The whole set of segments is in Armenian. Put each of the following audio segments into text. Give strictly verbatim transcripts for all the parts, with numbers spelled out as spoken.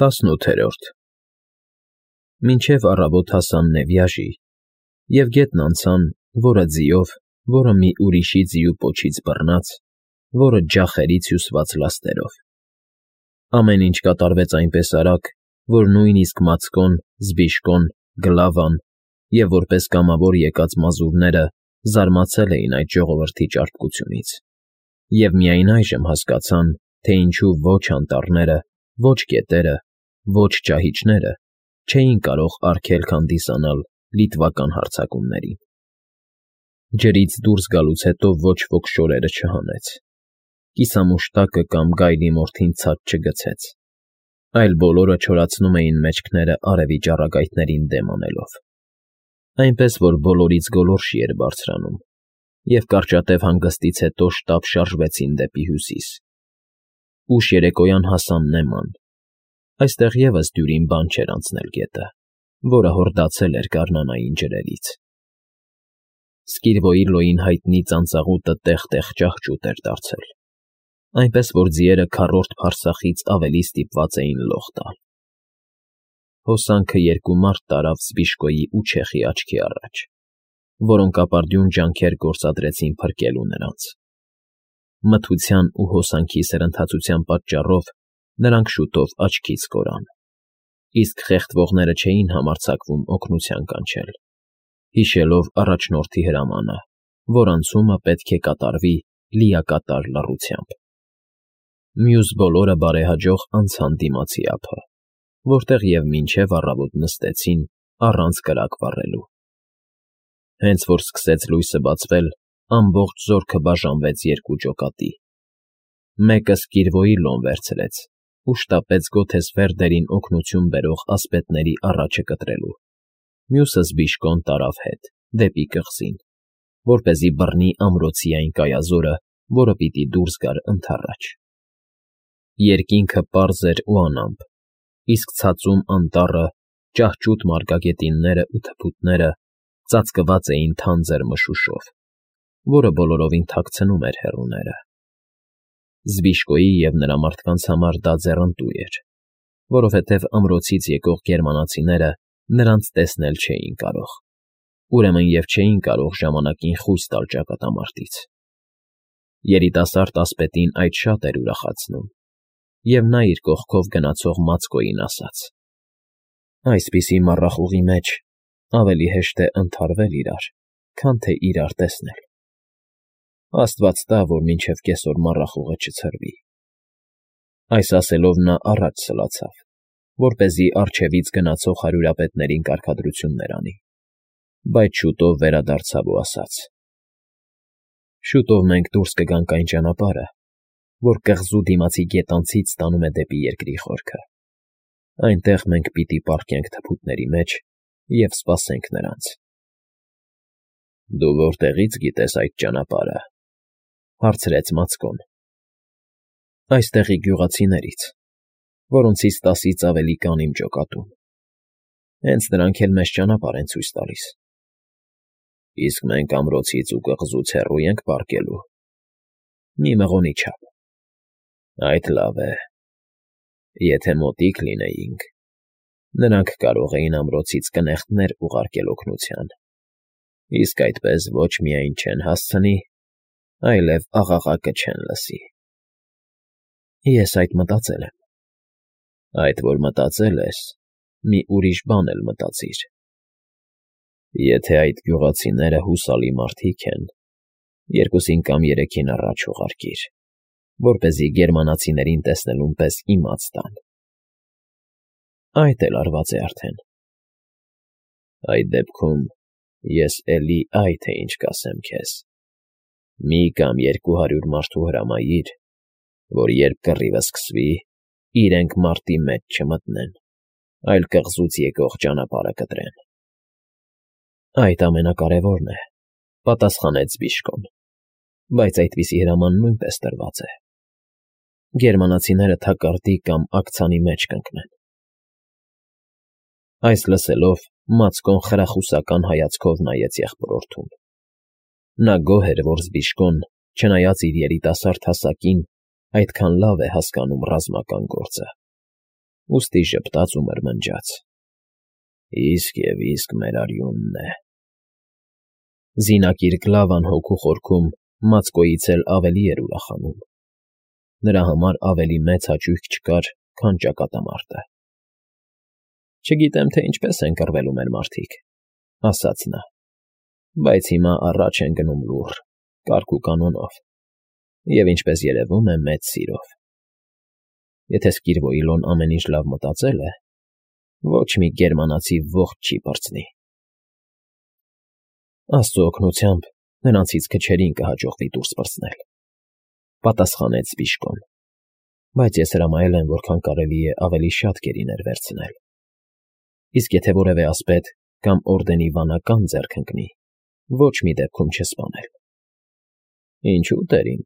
Տասնութերորդ Մինչև առավոտ հասան Նևյաժի և գետն անցան, որը ձիով, որը մի ուրիշի ձիու պոչից բռնած, որը ջախերից հյուսված լաստերով. ամեն ինչ կատարվեց այնպես արագ, որ նույնիսկ Մացկոն, Զբիշկոն, Գլավան և որպես կամավոր եկած մազուրները զարմացել էին այդ ժողովրդի ճարպկությունից և միայն այժմ հասկացան, թե ինչու ոչ անտառները, ոչ գետերը, ոչ ճահիճները չէին կարող արգելք հանդիսանալ լիտվական հարձակումներին. ջրից դուրս գալուց հետո ոչ ոք շորերը չհանեց, կիսամուշտակը կամ գայլի մորթին ցած չգցեց, այլ բոլորը չորացնում էին մեջքները արևի ճառագայթներին դեմ անելով, այնպես որ բոլորից գոլորշի էր բարձրանում, և կարճատև հանգստից հետո շտապ շարժվեցին դեպի հյուսիս. ուշ երեկոյան հասան Նեման. այստեղ ևս դյուրին բան չէր անցնել գետը, որը հորդացել էր գարնանային ջրերից. Սկիրվոիլլոյին հայտնի ծանծաղուտը տեղ֊տեղ ճահճուտ էր դարձել, այնպես որ ձիերը քառորդ փարսախից ավելի ստիպված էին լող տալ. Հոսանքը երկու մարդ տարավ Զբիշկոյի ու Չեխի աչքի առաջ, որոնք ապարդյուն ջանքեր գործադրեցին փրկելու նրանց. մթության ու հոսանքի սրընթացության պատճառով նրանք շուտով աչքից կորան, իսկ խեղդվողները չէին համարձակվում օգնության կանչել, հիշելով առաջնորդի հրամանը, որ անցումը պետք է կատարվի լիակատար լռությամբ. Մյուս բոլորը բարեհաջող անցան դիմացի ափը, որտեղ և մինչև առավոտ նստեցին առանց կրակ վառելու. հենց որ սկսեց լույսը բացվել, ամբողջ զորքը բաժանվեց երկու ջոկատի. մեկը Սկիրվոիլլոն վերցրեց ու շտապեց Գոթեսֆերդերին օգնություն բերող ասպետների առաջը կտրելու, մյուսը Զբիշկոն տարավ հետ, դեպի կղզին, որպեսզի բռնի ամրոցի այն կայազորը, որը պիտի դուրս գար ընդառաջ. Երկինքը պարզ էր ու անամպ, իսկ ցածում անտառը, ճահճուտ մարգագետիններն ու թփուտները ծածկված էին թանձր մշուշով, որը բոլորովին թաքցնում էր հեռուները. Զբիշկոյի և նրա մարդկանց համար դա ձեռնտու էր, որովհետև ամրոցից եկող գերմանացիները նրանց տեսնել չէին կարող, ուրեմն և չէին կարող ժամանակին խույս տալ ճակատամարտից. երիտասարդ ասպետին այդ շատ էր ուրախացնում, և նա իր կողքով գնացող Մացկոյին ասաց. «Այսպիսի մառախուղի մեջ ավելի հեշտ է ընդհարվել իրար, քան թե իրար տեսնել. աստված տա, որ մինչև կեսօր մառախուղը չցրվի»։ Այս ասելով նա առաջ սլացավ, որպեսզի առջևից գնացող հարյուրապետներին կարգադրություններ անի, բայց շուտով վերադարձավ ու ասաց. «Շուտով մենք դուրս կգանք այն ճանապարհը, որ կղզու դիմացի գետանցից տանում է դեպի երկրի խորքը. այնտեղ մենք պիտի պառկենք թփուտների մեջ և սպասենք նրանց»։ «Դու որտեղի՞ց գիտես այդ ճանապարհը», հարցրեց Մացկոն։ «Այստեղի գյուղացիներից, որոնցից տասից ավելի կան իմ ջոկատում. հենց նրանք էլ մեզ ճանապարհ են ցույց տալիս»։ «Իսկ մենք ամրոցից ու կղզուց հեռու ենք պառկելու»։ «Մի մղոնի չափ»։ «Այդ լավ է. եթե մոտիկ լինեինք, նրանք կարող էին ամրոցից կնեղտներ ուղարկել օգնության, իսկ այդպես ոչ միայն չեն հասցնի, այլև աղաղակը չեն լսի»։ «Ես այդ մտածել եմ»։ «Այդ որ մտածել ես, մի ուրիշ բան էլ մտածիր. եթե այդ գյուղացիները հուսալի մարդիկ են, երկուսին կամ երեքին առաջ ուղարկիր, որպեսզի գերմանացիներին տեսնելուն պես իմաց տան»։ «Այդ էլ արված է արդեն»։ «Այդ դեպքում ես էլի այ թե ինչ կասեմ քեզ. մի կամ երկու հարյուր մարդու հրամայիր, որ երբ կռիվը սկսվի, իրենք մարտի մեջ չմտնեն, այլ կղզուց եկող ճանապարհը կտրեն»։ «Այդ ամենակարևորն է», պատասխանեց Զբիշկոն, «բայց այդպիսի հրաման նույնպես տրված է. գերմանացիները թակարդի կամ աքցանի մեջ կընկնեն»։ Այս լսելով Մացկոն խրախուսական հայացքով նայեց եղբորորդուն. նա գոհ էր, որ Զբիշկոն, չնայած իր երիտասարդ հասակին, այդքան լավ է հասկանում ռազմական գործը, ուստի ժպտաց ու մրմնջաց. Իսկ և իսկ մեր արյունն է… Զինակիր Գլավան հոգու խորքում Մացկոյից էլ ավելի էր ուրախանում. նրա համար ավելի մեծ հաճույք չկար, քան ճակատամարտը։ Չգիտեմ, թե ինչպես են կռվելու մեր մարդիկ, ասաց նա, բայց հիմա առաջ են գնում լուռ, կարգ ու կանոնով, և ինչպես երևում է, մեծ սիրով։ Եթե Սկիրվոյլոն ամեն ինչ լավ մտածել է, ոչ մի գերմանացի ողջ չի պրծնի։ Աստծու օգնությամբ նրանցից քչերին կհաջողվի դուրս պրծնել, պատասխանեց Բիժկոն, բայց ես հրամայել եմ, որքան կարելի է ավելի շատ գերիներ վերցնել, իսկ եթե որևէ ասպետ կամ օրդենի վանական ձեռք ընկնի, ոչ մի դեպքում չսպանել։ Ինչու, տերին,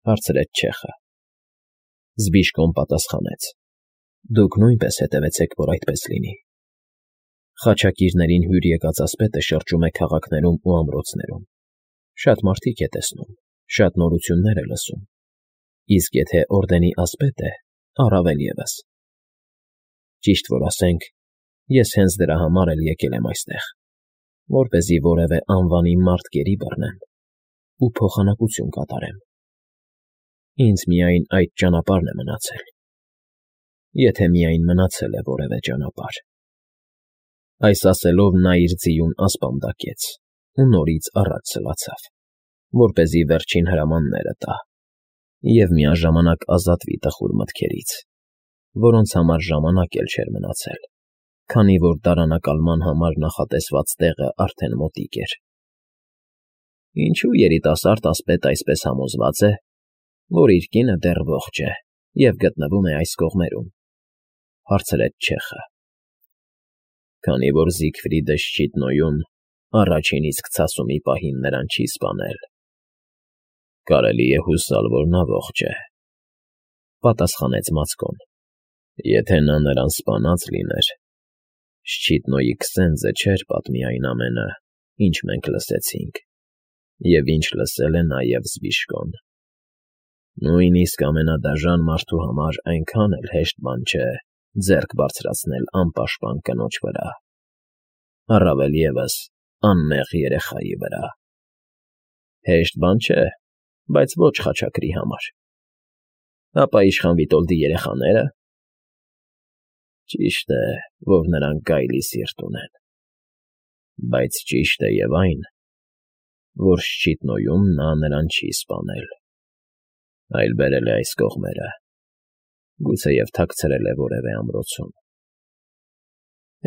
հարցրեց չեխը։ Զբիժկոն պատասխանեց. Դուք նույնպես հետևեցեք, որ այդպես լինի։ Խաչակիրներին հյուր եկած ասպետը շրջում է քաղաքներում ու ամրոցներում, շատ մարդիկ է տեսնում, շատ նորություններ է լսում, իսկ եթե օրդենի ասպետ է, առավել ևս։ Ճիշտ որ ասենք, ես հենց դրա համար էլ եկել եմ այստեղ, որպեսզի որևէ անվանի մարդ գերի բռնեմ ու փոխանակություն կատարեմ։ Ինձ միայն այդ ճանապարհն է մնացել, եթե միայն մնացել է որևէ ճանապարհ։ Այս ասելով նա իր ձիուն ասպանդակեց ու նորից առաջ սլացավ, որպեսզի վերջին հրամանները տա և միաժամանակ ազատվի տխուր մտքերից, որոնց համար ժամանակ էլ չէր մնացել, քանի որ դարանակալման համար նախատեսված տեղը արդեն մոտիկ էր։ Ինչու երիտասարդ ասպետը այսպես համոզված է, որ իր կինը դեռ ողջ է և գտնվում է այս կողմերում, հարցրեց չեխը։ Քանի որ Զիգֆրիդը Շչիտնոյում առաջին իսկ ցասումի պահին նրան չի սպանել, կարելի է հուսալ, որ նա ողջ է, պատասխանեց Մացկոն։ Եթե նա նրան սպանած լիներ, Շչիտնոյի քսենձը չէր պատմի այն ամենը, ինչ մենք լսեցինք, և ինչ լսել է նաև Զբիժկոն։ Նույնիսկ ամենադաժան մարդու համար այնքան էլ հեշտ բան չէ ձեռք բարձրացնել անպաշտպան կնոջ վրա, առավել ևս անմեղ երեխայի վրա։ Հեշտ բան չէ, բայց ոչ խաչակրի համար։ Ապա իշխան Վիտոլդի երեխաները… Ճիշտ է, որ նրանք գայլի սիրտ ունեն, բայց ճիշտ է և այն, որ Շչիտնոյում նա նրան չի սպանել, այլ բերել է այս կողմերը, գուցեև թաքցրել է որևէ ամրոցում։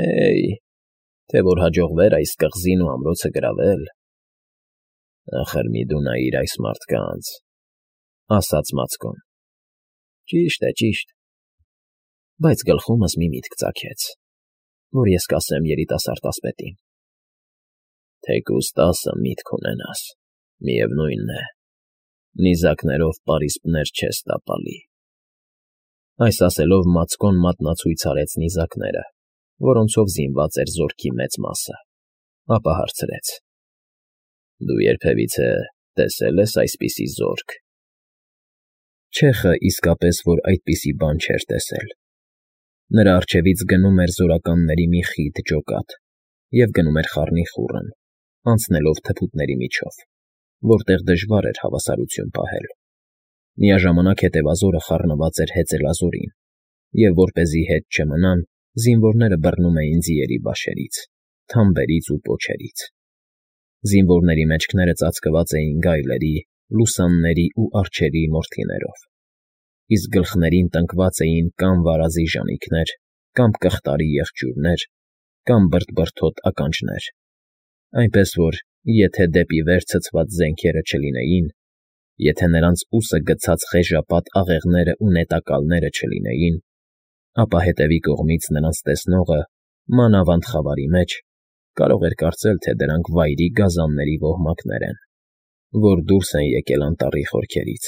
Հե՜յ, թե որ հաջողվեր այս կղզին ու ամրոցը գրավել… Ախր մի դու նայիր այս մարդկանց, ասաց Մացկոն։ Ճիշտ է, ճիշտ… Բայց գլխումս մի միտք ծագեց, որ ես կասեմ երիտասարդ ասպետին։ Թեկուզ տասը միտք ունենաս, միևնույն է, նիզակներով պարիսպներ չես տապալի։ Այս ասելով Մացկոն մատնացույց արեց նիզակները, որոնցով զինված էր զորքի մեծ մասը, ապա հարցրեց. Դու երբևիցե տեսել ես այսպիսի զորք։ Չեխը իսկապես որ այդպիսի բան չէր տեսել։ Նրա առջևից գնում էր զորականների մի խիտ ջոկատ և գնում էր խառնիխուռն, անցնելով թփուտների միջով, որտեղ դժվար էր հավասարություն պահել։ Միաժամանակ հետևազորը խառնված էր հեծելազորին, և որպեսզի հետ չմնան, զինվորները բռնում էին ձիերի բաշերից, թամբերից ու պոչերից։ Զինվորների մեջքները ծածկված էին գայլերի, լուսանների ու արջերի մորթիներով, իսկ գլխներին տնկված էին կամ վարազի ժանիքներ, կամ կխտարի եղջյուրներ, կամ բրդբրդոտ ականջներ, այնպես որ, եթե դեպի վեր ցցված զենքերը չլինեին, եթե նրանց ուսը գցած խեժապատ աղեղները ու նետակալները չլինեին, ապա հետևի կողմից նրանց տեսնողը, մանավանդ խավարի մեջ, կարող էր կարծել, թե դրանք վայրի գազանների ոհմակներ են, որ դուրս են եկել անտառի խորքերից,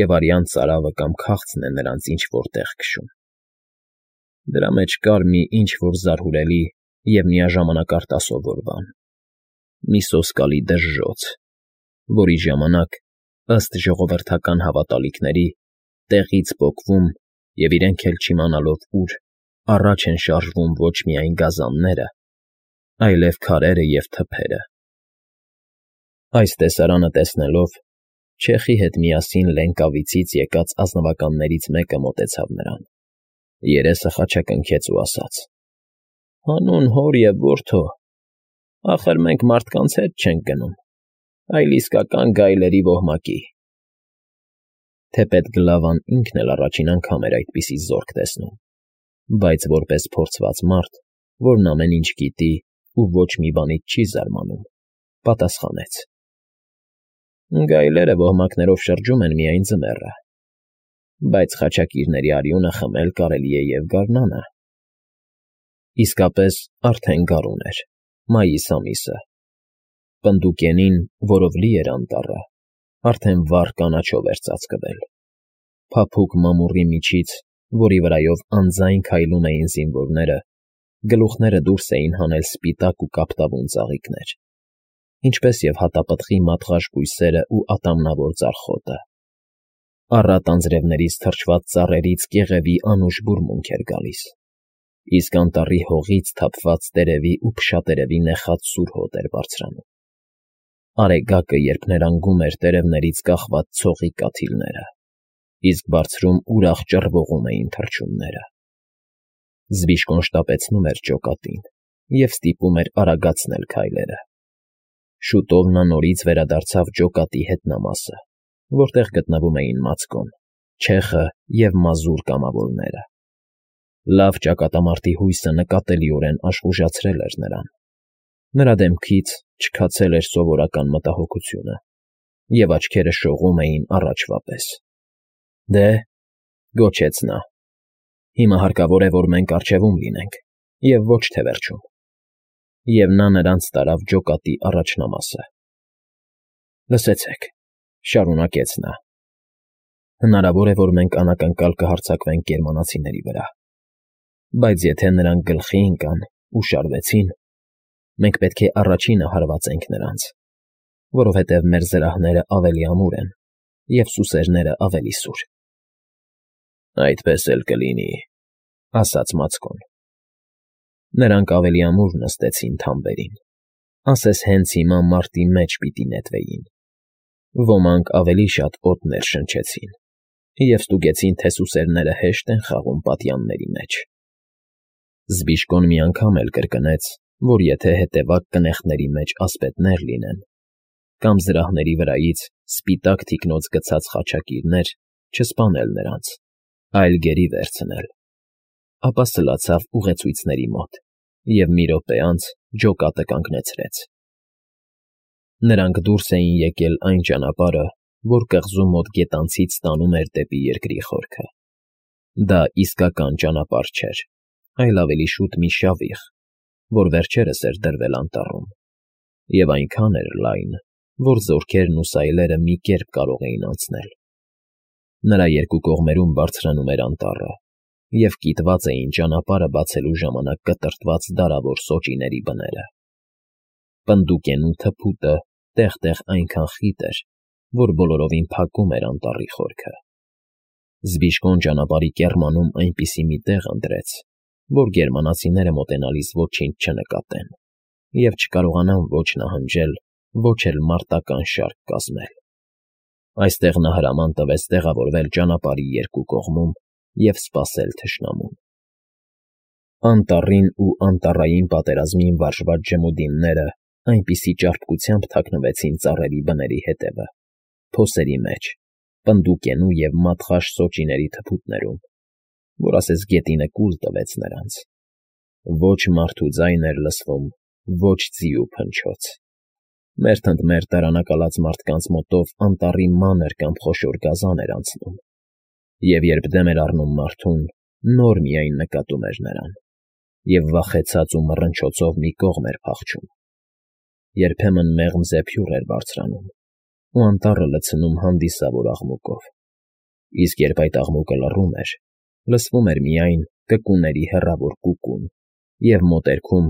և արյան ծարավը կամ քաղցն է նրանց ինչ֊որ տեղ քշում։ Դրա մեջ կար մի ինչ֊որ զարհուրելի և միաժամանակ արտասովոր բան, մի սոսկալի դժժոց, որի ժամանակ, ըստ ժողովրդական հավատալիքների, տեղից պոկվում և իրենք էլ չիմանալով ուր, առաջ են շարժվում ոչ միայն գազանները, այլև քարերը և թփերը։ Այս տեսարանը տեսնելով, չեխի հետ միասին լենկավիցից եկած ազնվականներից մեկը մոտեցավ նրան, երեսը խաչակնքեց ու ասաց. «Հանուն հոր և որդու, ախր մենք մարդկանց հետ չենք գնում, այլ իսկական գայլերի ոհմակի»։ Թեպետ Գլավան ինքն էլ առաջին անգամ էր այդպիսի զորք տեսնում, բայց որպես փորձված մարդ, որն ամեն ինչ գիտի ու ոչ մի բանից չի զարմանում, պատասխանեց. «Գայլերը ոհմակներով շրջում են միայն ձմեռը, բայց խաչակիրների արյունը խմել կարելի է և գարնանը»։ Իսկապես, արդեն գարուն էր, մայիս ամիսը, պնդուկենին, որով լի էր անտառը, արդեն վառ կանաչով էր ծածկվել, փափուկ մամուռի միջից, որի վրայով անձայն քայլում էին զինվորները, գլուխները դուրս էին հանել սպիտակ ու կապտավուն ծաղիկներ, ինչպես և հատապտղի մատղաշ բույսերն ու ատամնավոր ձարխոտը։ Առատ անձրևներից թրջված ծառերից կեղևի անուշ բուրմունք էր գալիս, իսկ անտառի հողից թափված տերևի ու փշատերևի նեխած սուր հոտ էր բարձրանում։ Արեգակը երբ ներանգում էր տերևներից կախված ցողի կաթիլները, իսկ բարձրում ուրախ ճռվողում էին թռչունները։ Զբիշկոն շտապեցնում էր ջոկատին և ստիպում էր արագացնել քայլերը։ Շուտով նա նորից վերադարձավ ջոկատի հետնամասը, որտեղ գտնվում էին Մացկոն, չեխը և մազուր կամավորները։ Լավ ճակատամարտի հույսը նկատելիորեն աշխուժացրել էր նրան։ Նրա դեմքից չքացել էր սովորական մտահոգությունը, և աչքերը շողում էին առաջվա պես։ ֊ Դե,֊ գոչեց նա,֊ հիմա հարկավոր է, որ մենք առջևում լինենք, և ոչ թե վերջում։ Եվ նա նրանց տարավ ջոկատի առաջնամասը։ «Լսեցեք,֊ շարունակեց նա,֊ հնարավոր է, որ մենք անակնկալ կհարձակվենք գերմանացիների վրա, բայց եթե նրանք գլխի ընկան ու շարվեցին, մենք պետք է առաջինը հարվածենք նրանց, որովհետև մեր զրահներն ավելի ամուր են, և սուսերները ավելի սուր»։ ֊ Այդպես էլ կլինի,֊ ասաց Մացկոն։ Նրանք ավելի ամուր նստեցին թամբերին, ասես հենց հիմա մարտի մեջ պիտի նետվեին։ Ոմանք ավելի շատ օդներ շնչեցին և ստուգեցին, թե սուսերները հեշտ են խաղում պատյանների մեջ։ Զբիշկոն մի անգամ էլ կրկնեց, որ եթե հետևակ կնեղների մեջ ասպետներ լինեն, կամ զրահների վրայից սպիտակ թիկնոց գցած խաչակիրներ, չսպանել նրանց, այլ գերի վերցնել, ապա սլացավ ուղեցույցների մոտ և մի րոպե անց ջոկատը կանգնեցրեց։ Նրանք դուրս էին եկել այն ճանապարհը, որ կղզու մոտ գետանցից տանում էր դեպի երկրի խորքը։ Դա իսկական ճանապարհ չէր, այլ ավելի շուտ մի շավիղ, որ վերջերս էր դրվել անտառում, և այնքան էր լայն, որ զորքերն ու սայլերը մի կերպ կարող էին անցնել։ Նրա երկու կողմերում բարձրանում էր անտառը, և կիտված էին ճանապարհը բացելու ժամանակ կտրտված դարավոր սոճիների բները։ Պնդուկենու թփուտը տեղ֊տեղ այնքան խիտ էր, որ բոլորովին փակում էր անտառի խորքը։ Զբիշկոն ճանապարհի կեռմանում այնպիսի մի տեղ ընտրեց, որ գերմանացիները մոտենալիս ոչինչ չնկատեն և չկարողանան ոչ նահանջել, ոչ էլ մարտական շարք կազմել։ Այստեղ նա հրաման տվեց տեղավորվել ճանապարհի երկու կողմում և սպասել թշնամուն։ Անտառին ու անտառային պատերազմին վարժված ջմուդինները այնպիսի ճարպկությամբ թաքնվեցին ծառերի բների հետևը, փոսերի մեջ, պնդուկենու և մատղաշ սոճիների թփուտներում, որ ասես գետինը կուլ տվեց նրանց։ Ոչ մարդու ձայն էր լսվում, ոչ ձիու փնչոց։ Մերթ ընդ մերթ դարանակալած մարդկանց մոտով անտառի մանր կամ խոշոր գազան էր անցնում, և երբ դեմ էր առնում մարդուն, նոր միայն նկատում էր նրան, և վախեցած ու մռնչոցով մի կողմ էր փախչում։ Երբեմն մեղմ զեփյուռ էր բարձրանում ու անտառը լցնում հանդիսավոր աղմուկով, իսկ երբ այդ աղմուկը լռում էր, լսվում էր միայն կկուների հեռավոր կուկուն և մոտերքում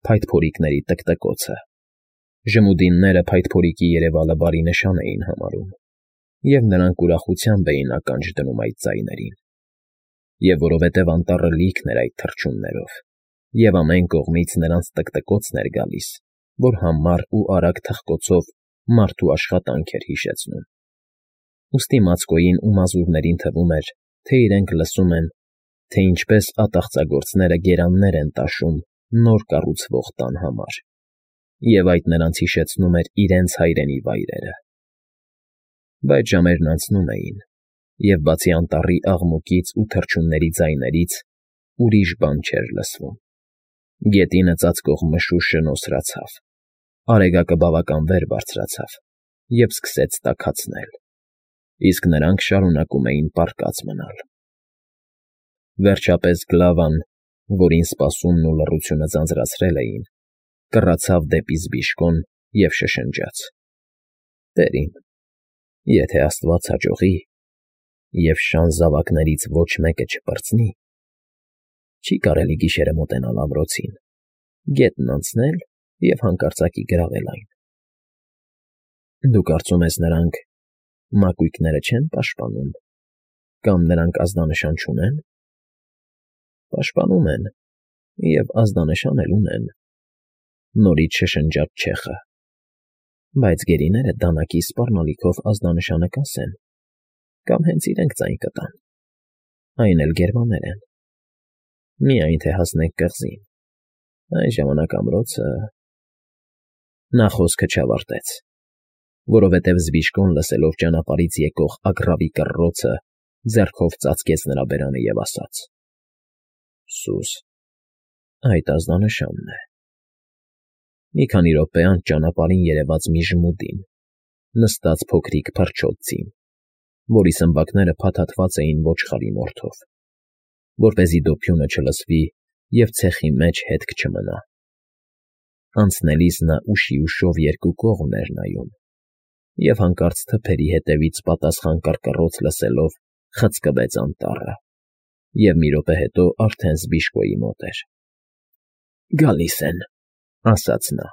փայտփորիկների տկտկոցը։ Ժմուդինները փայտփորիկի երևալը բարի նշան էին համարում, և նրանք ուրախությամբ էին ականջ դնում այդ ձայներին։ Եվ որովհետև անտառը լիքն էր այդ թռչուններով, և ամեն կողմից նրանց տկտկոցն էր գալիս, որ համառ ու արագ թխկոցով մարդու աշխատանք էր հիշեցնում, ուստի Մացկոյին ու մազուրներին թվում էր, թե իրենք լսում են, թե ինչպես ատաղծագործները գերաններ են տաշում նոր կառուցվող տան համար, և այդ նրանց հիշեցնում էր իրենց հայրենի վայրերը։ Բայց ժամերն անցնում էին, և բացի անտառի աղմուկից ու թռչունների ձայներից ուրիշ բան չէր լսվում. գետինը ծածկող մշուշը նոսրացավ, արեգակը բավական վեր բարձրացավ և սկսեց տաքացնել, իսկ նրանք շարունակում էին պառկած մնալ։ Վերջապես Գլավան, որին սպասումն ու լռությունը ձանձրացրել էին, կռացավ դեպի Զբիշկոն և շշնջաց. «Տեր իմ, եթե աստված հաջողի, և շան զավակներից ոչ մեկը չպրծնի, չի կարելի գիշերը մոտենալ ամրոցին, գետն անցնել և հանկարծակի գրավել այն»։ «Դու կարծում ես, նրանք մակույկները չեն պաշտպանում, կամ նրանք ազդանշան չունեն»։ «Պաշտպանում են և ազդանշան էլ ունեն,֊ նորից շշնջաց չեխը,֊ բայց գերիները դանակի սպառնալիքով ազդանշանը կասեն կամ հենց իրենք ձայն կտան, այն էլ գերմաներ են։ Միայն թե հասնենք կղզին, այն ժամանակ ամրոցը…» Նա խոսքը չավարտեց, որովհետև Զբիշկոն, լսելով ճանապարհից եկող ագռավի կռռոցը, ձեռքով ծածկեց նրա բերանը և ասաց. «Սուս, այդ ազդանշանն է»։ Մի քանի րոպե անց ճանապարհին երևաց մի ժմուդին, նստած փոքրիկ փռչոտ ձին, որի սմբակները փաթաթված էին ոչխարի մորթով, որպեսզի դոփյունը չլսվի և ցեխի մեջ հետք չմնա։ Անցնելիս նա ուշիուշով երկու կողմ էր նայում, և հանկարծ թփերի ետևից պատասխան կռկռոց լսելով խցկվեց անտառը, և մի րոպե հետո արդեն Զբիշկոյի մոտ էր։ «Գալիս են»,֊ ասաց նա։